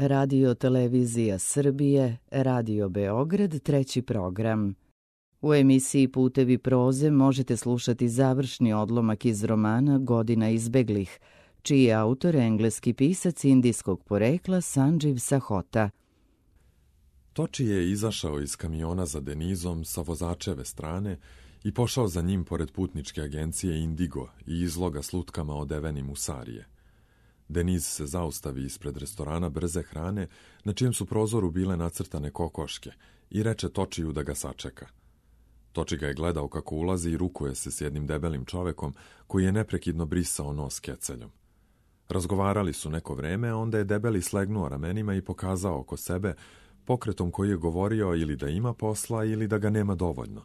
Radio Televizija Srbije, Radio Beograd, treći program. U emisiji Putevi proze možete slušati završni odlomak iz romana Godina izbeglih, čiji je autor engleski pisac indijskog porekla Sanđiv Sahota. Toči je izašao iz kamiona za Denizom sa vozačeve strane i pošao za njim pored putničke agencije Indigo i izloga s lutkama odevenim u sarije. Deniz se zaustavi ispred restorana brze hrane, na čijem su prozoru bile nacrtane kokoške, i reče Točiju da ga sačeka. Toči ga je gledao kako ulazi i rukuje se s jednim debelim čovekom koji je neprekidno brisao nos keceljom. Razgovarali su neko vreme, a onda je debeli slegnuo ramenima i pokazao oko sebe pokretom koji je govorio ili da ima posla ili da ga nema dovoljno.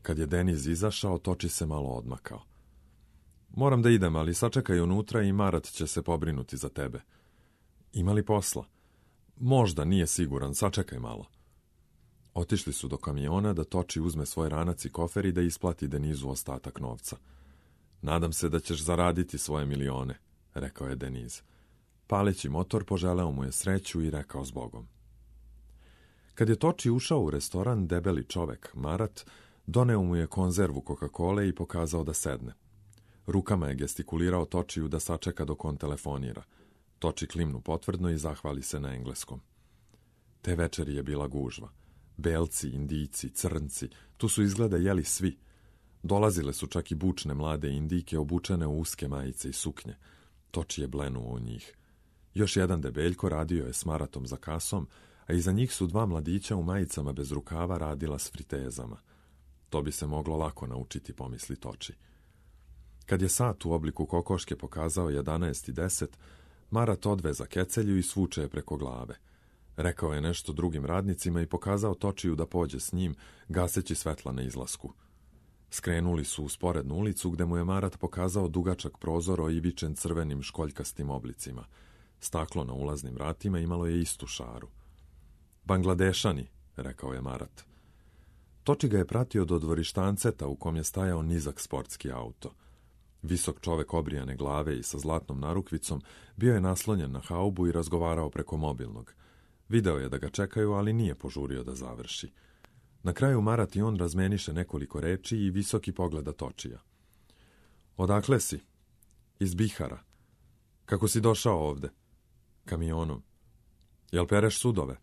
Kad je Deniz izašao, Toči se malo odmakao. Moram da idem, ali sačekaj unutra i Marat će se pobrinuti za tebe. Ima li posla? Možda, nije siguran, sačekaj malo. Otišli su do kamiona da Toči uzme svoj ranac i kofer i da isplati Denizu ostatak novca. Nadam se da ćeš zaraditi svoje milione, rekao je Deniz. Paleći motor, poželeo mu je sreću i rekao zbogom. Kad je Toči ušao u restoran, debeli čovek, Marat, doneo mu je konzervu Coca-Cole i pokazao da sedne. Rukama je gestikulirao Točiju da sačeka dok on telefonira. Toči klimnu potvrdno i zahvali se na engleskom. Te večeri je bila gužva. Belci, Indijci, Crnci, tu su izgleda jeli svi. Dolazile su čak i bučne mlade Indijke obučene u uske majice i suknje. Toči je blenuo u njih. Još jedan debeljko radio je s Maratom za kasom, a iza njih su dva mladića u majicama bez rukava radila s fritezama. To bi se moglo lako naučiti, pomisli Toči. Kad je sat u obliku kokoške pokazao 11:10, Marat odveza kecelju i svuče je preko glave. Rekao je nešto drugim radnicima i pokazao Točiju da pođe s njim, gaseći svetla na izlasku. Skrenuli su u sporednu ulicu gde mu je Marat pokazao dugačak prozor oivičen crvenim školjkastim oblicima. Staklo na ulaznim vratima imalo je istu šaru. Bangladešani, rekao je Marat. Toči ga je pratio do dvorištanceta u kom je stajao nizak sportski auto. Visok čovek obrijane glave i sa zlatnom narukvicom bio je naslonjen na haubu i razgovarao preko mobilnog. Video je da ga čekaju, ali nije požurio da završi. Na kraju Marat i on razmeniše nekoliko reči i visoki pogleda Točija. Odakle si? Iz Bihara. Kako si došao ovde? Kamionom. Jel pereš sudove?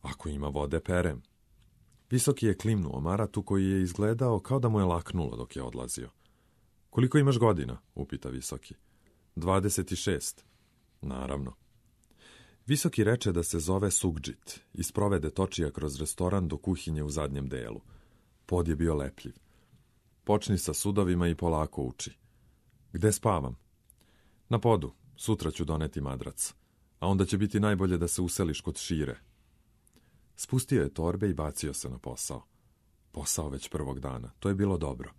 Ako ima vode, perem. Visoki je klimnuo Maratu koji je izgledao kao da mu je laknulo dok je odlazio. Koliko imaš godina? Upita Visoki. 26. Naravno. Visoki reče da se zove Sugdžit i sprovede Točija kroz restoran do kuhinje u zadnjem delu. Pod je bio lepljiv. Počni sa sudovima i polako uči. Gde spavam? Na podu. Sutra ću doneti madrac. A onda će biti najbolje da se useliš kod Šire. Spustio je torbe i bacio se na posao. Posao već prvog dana. To je bilo dobro.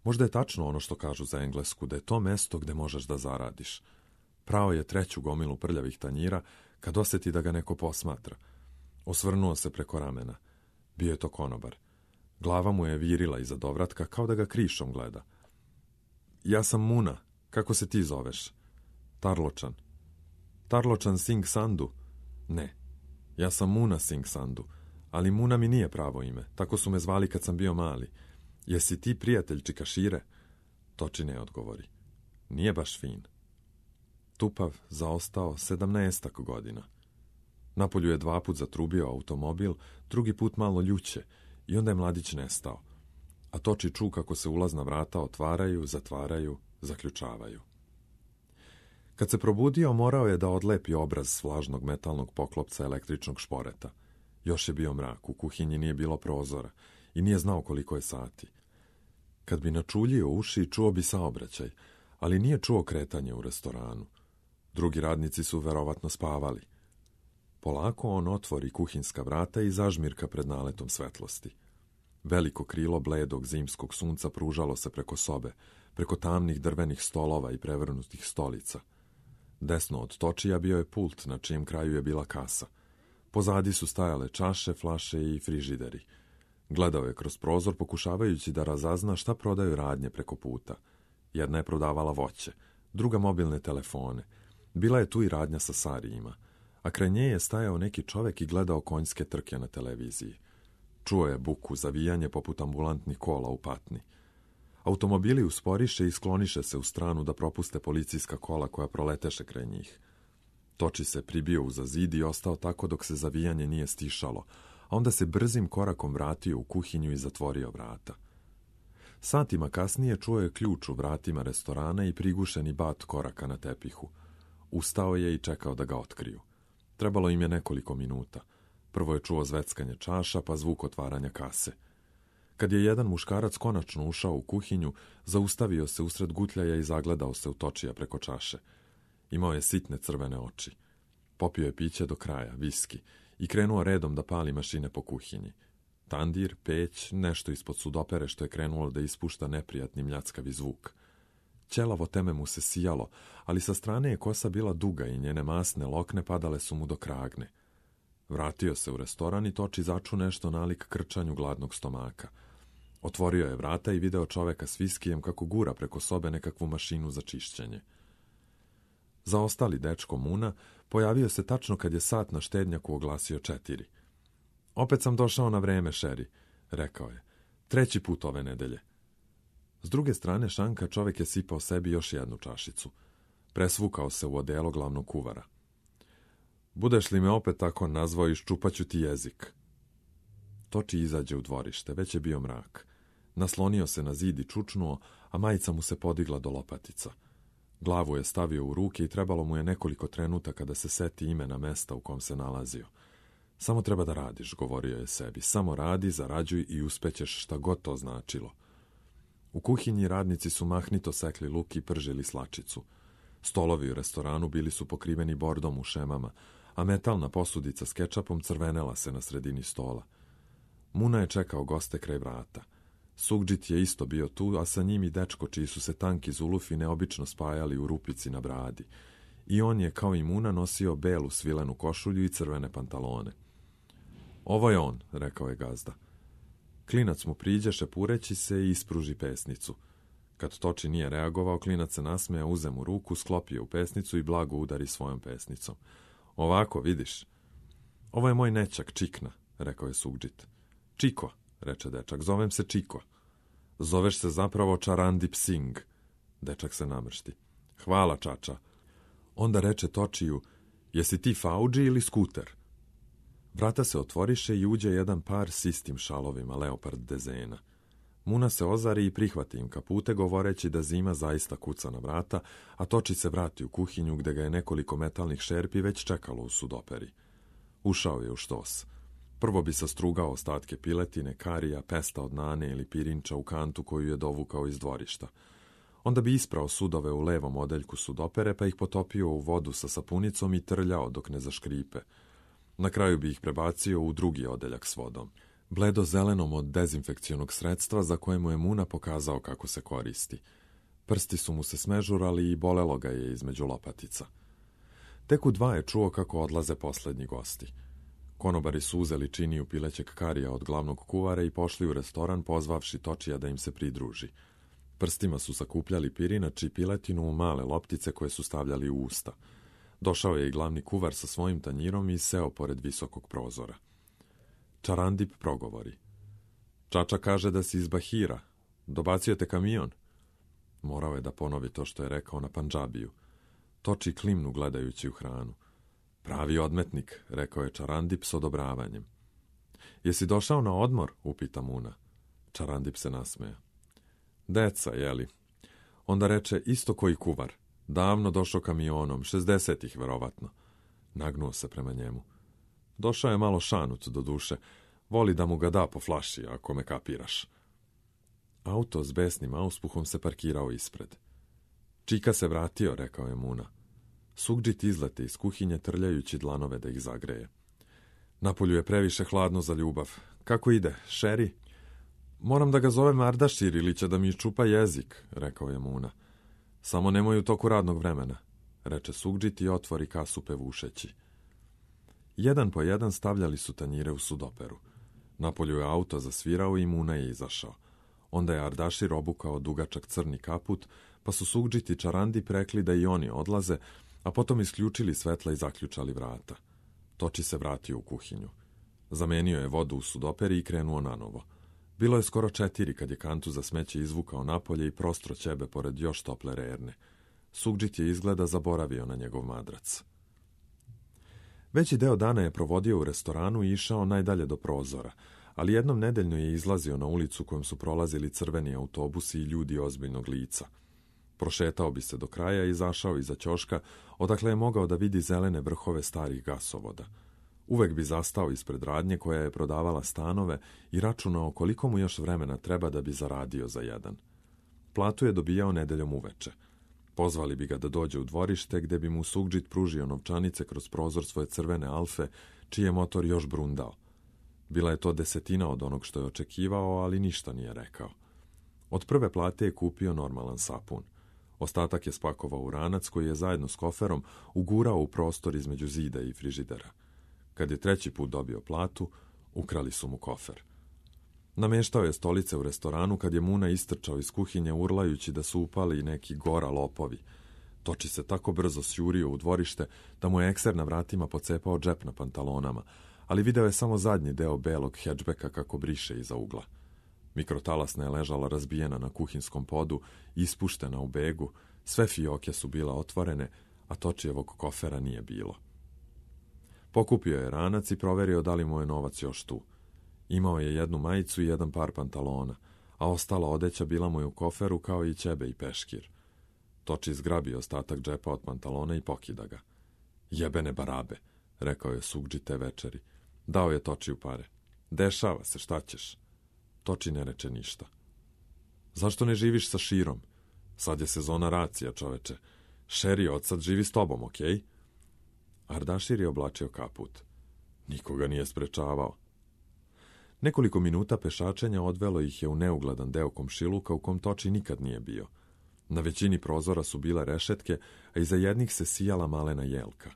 Možda je tačno ono što kažu za Englesku, da je to mesto gde možeš da zaradiš. Prao je treću gomilu prljavih tanjira kad osjeti da ga neko posmatra. Osvrnuo se preko ramena. Bio je to konobar. Glava mu je virila iza dovratka kao da ga krišom gleda. Ja sam Muna. Kako se ti zoveš? Tarločan. Tarločan Singh Sandhu? Ne. Ja sam Muna Singh Sandhu, ali Muna mi nije pravo ime. Tako su me zvali kad sam bio mali. Jesi ti prijatelj Čikašire? Toči ne odgovori. Nije baš fin. Tupav, zaostao 17 godina. Napolju je 2 put zatrubio automobil, drugi put malo ljuće i onda je mladić nestao. A Toči ču kako se ulazna vrata otvaraju, zatvaraju, zaključavaju. Kad se probudio, morao je da odlepi obraz s vlažnog metalnog poklopca električnog šporeta. Još je bio mrak, u kuhinji nije bilo prozora i nije znao koliko je sati. Kad bi načuljio uši, čuo bi saobraćaj, ali nije čuo kretanje u restoranu. Drugi radnici su verovatno spavali. Polako on otvori kuhinska vrata i zažmirka pred naletom svetlosti. Veliko krilo bledog zimskog sunca pružalo se preko sobe, preko tamnih drvenih stolova i prevrnutih stolica. Desno od Točija bio je pult na čijem kraju je bila kasa. Pozadi su stajale čaše, flaše i frižideri. Gledao je kroz prozor pokušavajući da razazna šta prodaju radnje preko puta. Jedna je prodavala voće, druga mobilne telefone. Bila je tu i radnja sa sarijima, a kraj nje je stajao neki čovek i gledao konjske trke na televiziji. Čuo je buku, zavijanje poput ambulantnih kola u patni. Automobili usporiše i skloniše se u stranu da propuste policijska kola koja proleteše kraj njih. Toči se pribio uza zid i ostao tako dok se zavijanje nije stišalo, a onda se brzim korakom vratio u kuhinju i zatvorio vrata. Satima kasnije čuo je ključ u vratima restorana i prigušeni bat koraka na tepihu. Ustao je i čekao da ga otkriju. Trebalo im je nekoliko minuta. Prvo je čuo zveckanje čaša, pa zvuk otvaranja kase. Kad je jedan muškarac konačno ušao u kuhinju, zaustavio se usred gutljaja i zagledao se u Točija preko čaše. Imao je sitne crvene oči. Popio je piće do kraja, viski, i krenuo redom da pali mašine po kuhinji. Tandir, peć, nešto ispod sudopere što je krenulo da ispušta neprijatni mljackavi zvuk. Ćelavo teme mu se sijalo, ali sa strane je kosa bila duga i njene masne lokne padale su mu do kragne. Vratio se u restoran i Toči začu nešto nalik krčanju gladnog stomaka. Otvorio je vrata i video čoveka s viskijem kako gura preko sobe nekakvu mašinu za čišćenje. Zaostali dečko Muna pojavio se tačno kad je sat na štednjaku oglasio 4. Opet sam došao na vreme, Šeri, rekao je. 3. put ove nedelje. S druge strane šanka čovek je sipao sebi još jednu čašicu. Presvukao se u odelo glavnog kuvara. Budeš li me opet tako nazvao, iščupaću ti jezik. Toči izađe u dvorište, već je bio mrak. Naslonio se na zid i čučnuo, a majica mu se podigla do lopatica. Glavu je stavio u ruke i trebalo mu je nekoliko trenutaka da se seti imena mesta u kom se nalazio. Samo treba da radiš, govorio je sebi. Samo radi, zarađuj i uspećeš šta god to značilo. U kuhinji radnici su mahnito sekli luk i pržili slačicu. Stolovi u restoranu bili su pokriveni bordom u šemama, a metalna posudica s kečapom crvenela se na sredini stola. Muna je čekao goste kraj vrata. Sugđit je isto bio tu, a sa njim i dečko čiji su se tanki zulufi neobično spajali u rupici na bradi. I on je, kao i Muna, nosio belu svilenu košulju i crvene pantalone. Ovo je on, rekao je gazda. Klinac mu priđe šepureći se i ispruži pesnicu. Kad Toči nije reagovao, klinac se nasmeja, uze mu ruku, sklopio u pesnicu i blago udari svojom pesnicom. Ovako, vidiš. Ovo je moj nećak, Čikna, rekao je Sugđit. Čiko, reče dečak, zovem se Čiko. Zoveš se zapravo Čarandip Singh. Dečak se namršti. Hvala, čača. Onda reče Točiju, jesi ti Faudži ili Skuter? Vrata se otvoriše i uđe jedan par s istim šalovima, leopard dezena. Muna se ozari i prihvati im kapute, govoreći da zima zaista kuca na vrata, a Toči se vrati u kuhinju gde ga je nekoliko metalnih šerpi već čekalo u sudoperi. Ušao je u štos. Prvo bi sastrugao ostatke piletine, karija, pesta od nane ili pirinča u kantu koju je dovukao iz dvorišta. Onda bi isprao sudove u levom odeljku sudopere, pa ih potopio u vodu sa sapunicom i trljao dok ne zaškripe. Na kraju bi ih prebacio u drugi odeljak s vodom, bledo zelenom od dezinfekcionog sredstva za koje mu je Muna pokazao kako se koristi. Prsti su mu se smežurali i bolelo ga je između lopatica. Tek u 2 je čuo kako odlaze poslednji gosti. Konobari su uzeli činiju pilećeg karija od glavnog kuvara i pošli u restoran, pozvavši Točija da im se pridruži. Prstima su sakupljali pirinač i piletinu u male loptice koje su stavljali u usta. Došao je i glavni kuvar sa svojim tanjirom i seo pored visokog prozora. Čarandip progovori. Čača kaže da si iz Bahira. Dobacio te kamion? Morao je da ponovi to što je rekao na pandžabiju. Toči klimnu gledajući u hranu. Pravi odmetnik, rekao je Čarandip s odobravanjem. Jesi došao na odmor? Upita Muna. Čarandip se nasmeja. Deca, jeli? Onda reče isto koji kuvar. Davno došao kamionom, 60-ih verovatno. Nagnuo se prema njemu. Došao je malo šanut do duše. Voli da mu ga da po flaši, ako me kapiraš. Auto s besnim auspuhom se parkirao ispred. Čika se vratio, rekao je Muna. Sugđit izlete iz kuhinje trljajući dlanove da ih zagreje. Napolju je previše hladno za ljubav. Kako ide, Šeri? Moram da ga zovem Ardašir ili će da mi iščupa jezik, rekao je Muna. Samo nemoj u toku radnog vremena, reče Sugđit i otvori kasu pevušeći. Jedan po jedan stavljali su tanjire u sudoperu. Napolju je auto zasvirao i Muna je izašao. Onda je Ardašir obukao dugačak crni kaput, pa su Sugđit i Čarandip rekli da i oni odlaze, a potom isključili svetla i zaključali vrata. Toči se vratio u kuhinju. Zamenio je vodu u sudoperi i krenuo nanovo. Bilo je skoro 4 kad je kantu za smeće izvukao napolje i prostro ćebe pored još tople rerne. Sugđit je izgleda zaboravio na njegov madrac. Veći deo dana je provodio u restoranu i išao najdalje do prozora, ali jednom nedeljno je izlazio na ulicu kojom su prolazili crveni autobusi i ljudi ozbiljnog lica. Prošetao bi se do kraja i izašao iza ćoška, odakle je mogao da vidi zelene vrhove starih gasovoda. Uvek bi zastao ispred radnje koja je prodavala stanove i računao koliko mu još vremena treba da bi zaradio za jedan. Platu je dobijao nedeljom uveče. Pozvali bi ga da dođe u dvorište, gde bi mu sugđit pružio novčanice kroz prozor svoje crvene Alfe, čiji je motor još brundao. Bila je to 10% od onog što je očekivao, ali ništa nije rekao. Od prve plate je kupio normalan sapun. Ostatak je spakovao u ranac koji je zajedno s koferom ugurao u prostor između zida i frižidera. Kad je 3. put dobio platu, ukrali su mu kofer. Nameštao je stolice u restoranu kad je Muna istrčao iz kuhinje urlajući da su upali neki gora lopovi. Toči se tako brzo sjurio u dvorište da mu je ekser na vratima pocepao džep na pantalonama, ali video je samo zadnji deo belog hedžbeka kako briše iza ugla. Mikrotalasna je ležala razbijena na kuhinskom podu, ispuštena u begu, sve fioke su bila otvorene, a Točijevog kofera nije bilo. Pokupio je ranac i proverio da li mu je novac još tu. Imao je jednu majicu i jedan par pantalona, a ostala odeća bila mu je u koferu kao i ćebe i peškir. Toči zgrabio ostatak džepa od pantalona i pokida ga. Jebene barabe, rekao je Sugđi te večeri. Dao je Točiju pare. Dešava se, šta ćeš? Toči ne reče ništa. Zašto ne živiš sa Širom? Sad je sezona racija, čoveče. Šeri od sad živi s tobom, okej? Ardašir je oblačio kaput. Nikoga nije sprečavao. Nekoliko minuta pešačenja odvelo ih je u neugledan deo komšiluka u kom Toči nikad nije bio. Na većini prozora su bile rešetke, a iza jednih se sijala malena jelka.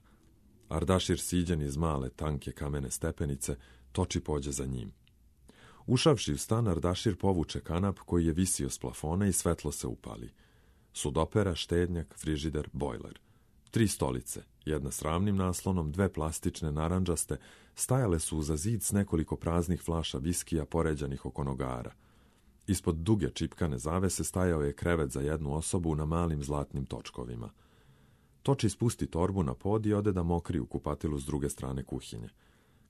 Ardašir siđen iz male, tanke kamene stepenice, Toči pođe za njim. Ušavši u stan, Ardašir povuče kanap koji je visio s plafona i svetlo se upali. Sudopera, štednjak, frižider, bojler. 3 stolice, jedna s ravnim naslonom, 2 plastične narandžaste, stajale su uza zid s nekoliko praznih flaša viskija poređanih oko nogara. Ispod duge čipkane zavese stajao je krevet za jednu osobu na malim zlatnim točkovima. Toči spusti torbu na pod i ode da mokri u kupatilu s druge strane kuhinje.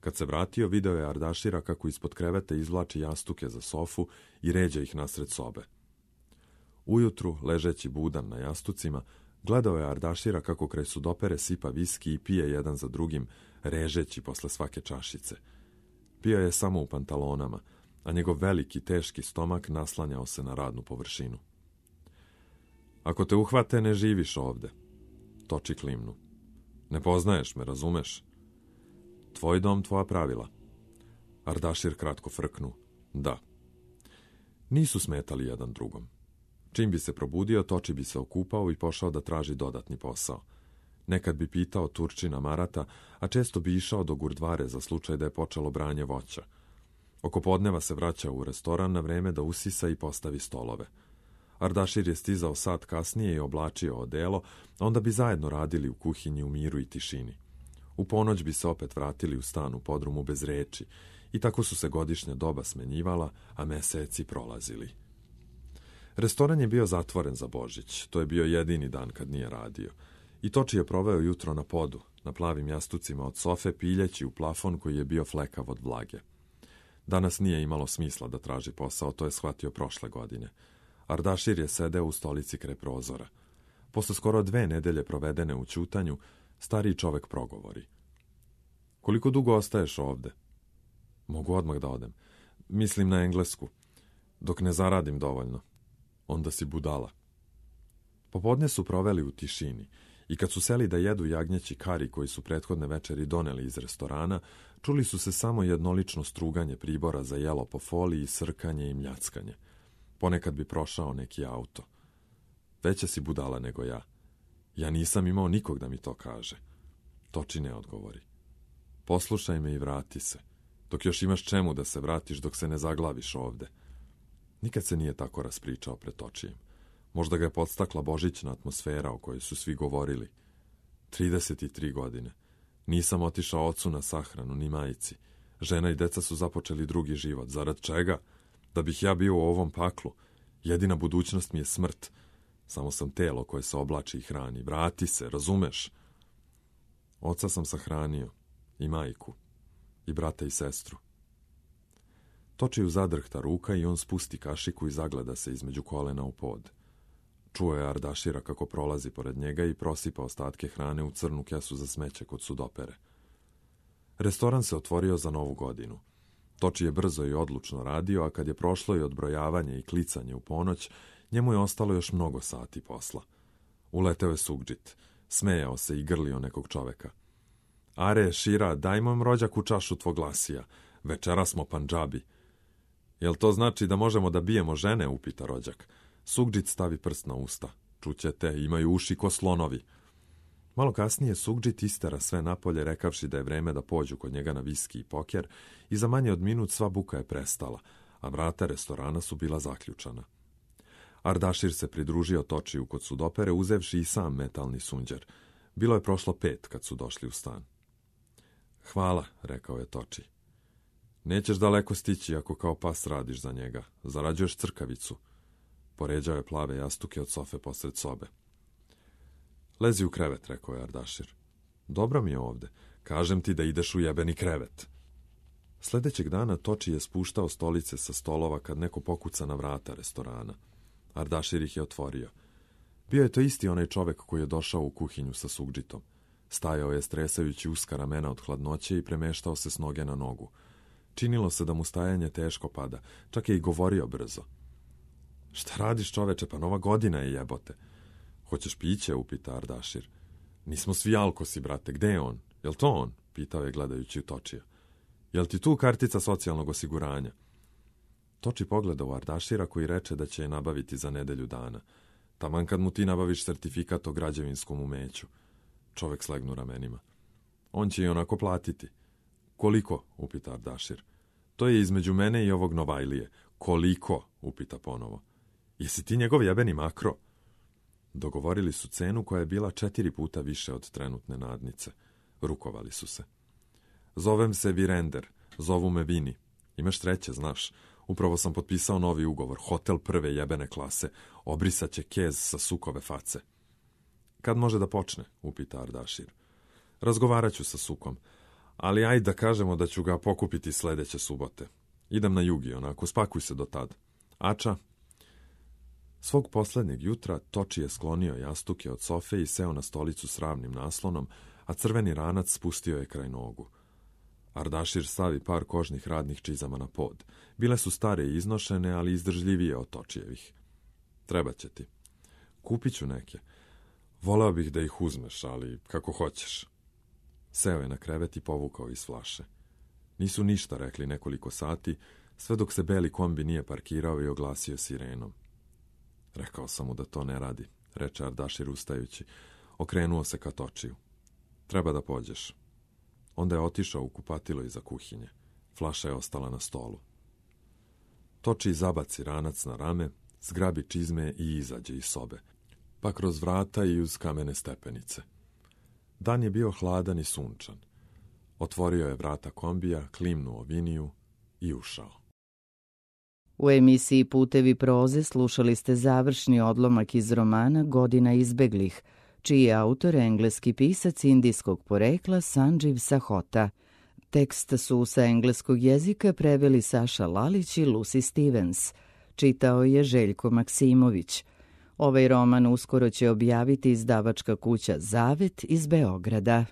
Kad se vratio, video je Ardašira kako ispod kreveta izvlači jastuke za sofu i ređa ih nasred sobe. Ujutru, ležeći budan na jastucima, gledao je Ardašira kako kraj sudopere sipa viski i pije jedan za drugim, režeći posle svake čašice. Pio je samo u pantalonama, a njegov veliki, teški stomak naslanjao se na radnu površinu. Ako te uhvate, ne živiš ovde. Toči klimnu. Ne poznaješ me, razumeš? Tvoj dom, tvoja pravila. Ardašir kratko frknu. Da. Nisu smetali jedan drugom. Čim bi se probudio, Toči bi se okupao i pošao da traži dodatni posao. Nekad bi pitao Turčina Marata, a često bi išao do Gurdvare za slučaj da je počelo branje voća. Oko podneva se vraćao u restoran na vreme da usisa i postavi stolove. Ardašir je stizao sat kasnije i oblačio odelo, onda bi zajedno radili u kuhinji u miru i tišini. U ponoć bi se opet vratili u stan u podrumu bez reči i tako su se godišnja doba smenjivala, a meseci prolazili. Restoran je bio zatvoren za Božić, to je bio jedini dan kad nije radio. I Toči je proveo jutro na podu, na plavim jastucima od sofe, piljeći u plafon koji je bio flekav od vlage. Danas nije imalo smisla da traži posao, to je shvatio prošle godine. Ardašir je sedeo u stolici kraj prozora. Posle skoro 2 nedelje provedene u ćutanju, stariji čovek progovori. Koliko dugo ostaješ ovde? Mogu odmah da odem. Mislim na Englesku. Dok ne zaradim dovoljno. Onda si budala. Popodne su proveli u tišini i kad su seli da jedu jagnjeći kari koji su prethodne večeri doneli iz restorana, čuli su se samo jednolično struganje pribora za jelo po foliji, srkanje i mljackanje. Ponekad bi prošao neki auto. Veća si budala nego ja. Ja nisam imao nikog da mi to kaže. Toči ne odgovori. Poslušaj me i vrati se. Dok još imaš čemu da se vratiš dok se ne zaglaviš ovde. Nikad se nije tako raspričao pred Točijem. Možda ga je podstakla božićna atmosfera o kojoj su svi govorili. 33 godine. Nisam otišao ocu na sahranu, ni majici. Žena i deca su započeli drugi život. Zarad čega? Da bih ja bio u ovom paklu. Jedina budućnost mi je smrt. Samo sam telo koje se oblači i hrani. Vrati se, razumeš? Oca sam sahranio. I majku. I brata i sestru. Točiju zadrhta ruka i on spusti kašiku i zagleda se između kolena u pod. Čuo je Ardašira kako prolazi pored njega i prosipa ostatke hrane u crnu kesu za smeće kod sudopere. Restoran se otvorio za Novu godinu. Toči je brzo i odlučno radio, a kad je prošlo i odbrojavanje i klicanje u ponoć, njemu je ostalo još mnogo sati posla. Uleteo je Sugdžit, smejao se i grlio nekog čoveka. Are, Šira, daj mom rođaku čašu tvog lasija. Večera smo Pandžabi. Jel to znači da možemo da bijemo žene, upita rođak. Sugdžit stavi prst na usta. Čućete, imaju uši ko slonovi. Malo kasnije Sugdžit istera sve napolje, rekavši da je vreme da pođu kod njega na viski i poker, i za manje od minut sva buka je prestala, a vrata restorana su bila zaključana. Ardašir se pridružio Točiju kod sudopere, uzevši i sam metalni sunđer. Bilo je prošlo 5 kad su došli u stan. Hvala, rekao je Toči. Nećeš daleko stići ako kao pas radiš za njega. Zarađuješ crkavicu. Poređao je plave jastuke od sofe posred sobe. Lezi u krevet, rekao je Ardašir. Dobro mi je ovde. Kažem ti da ideš u jebeni krevet. Sljedećeg dana Toči je spuštao stolice sa stolova kad neko pokuca na vrata restorana. Ardašir ih je otvorio. Bio je to isti onaj čovek koji je došao u kuhinju sa Sugdžitom. Stajao je stresajući uska ramena od hladnoće i premeštao se s noge na nogu. Činilo se da mu stajanje teško pada, čak je i govorio brzo. Šta radiš, čoveče, pa Nova godina je, jebote. Hoćeš piće, upita Ardašir. Nismo svi alkosi, brate, gde je on? Jel to on? Pitao je gledajući u Točija. Jel ti tu kartica socijalnog osiguranja? Toči pogleda u Ardašira koji reče da će je nabaviti za nedelju dana. Taman kad mu ti nabaviš sertifikat o građevinskom umeću. Čovek slegnu ramenima. On će i onako platiti. Koliko? Upita Ardašir. To je između mene i ovog Novajlije. Koliko? Upita ponovo. Jesi ti njegov jebeni makro? Dogovorili su cenu koja je bila 4 puta više od trenutne nadnice. Rukovali su se. Zovem se Virender, zovu me Vini. Imaš treće, znaš. Upravo sam potpisao novi ugovor, hotel prve jebene klase. Obrisat će kez sa Sukove face. Kad može da počne? Upita Ardašir. Razgovarat ću sa Sukom, ali ajde da kažemo da ću ga pokupiti sljedeće subote. Idem na jugi, onako, spakuj se do tad. Ača? Svog posljednjeg jutra Toči je sklonio jastuke od sofe i seo na stolicu s ravnim naslonom, a crveni ranac spustio je kraj nogu. Ardašir stavi par kožnih radnih čizama na pod. Bile su stare i iznošene, ali izdržljivije od Točijevih. Treba će ti. Kupit ću neke. Voleo bih da ih uzmeš, ali kako hoćeš. Seo je na krevet i povukao iz flaše. Nisu ništa rekli nekoliko sati, sve dok se beli kombi nije parkirao i oglasio sirenom. Rekao sam mu da to ne radi, reče Ardašir ustajući. Okrenuo se ka Točiju. Treba da pođeš. Onda je otišao u kupatilo iza kuhinje. Flaša je ostala na stolu. Toči zabaci ranac na rame, zgrabi čizme i izađe iz sobe, pa kroz vrata i uz kamene stepenice. Dan je bio hladan i sunčan. Otvorio je vrata kombija, klimnuo Viniju i ušao. U emisiji Putevi proze slušali ste završni odlomak iz romana Godina izbeglih, čiji je autor engleski pisac indijskog porekla Sanđiv Sahota. Tekst su sa engleskog jezika preveli Saša Lalić i Lucy Stevens. Čitao je Željko Maksimović. Ovaj roman uskoro će objaviti izdavačka kuća Zavet iz Beograda.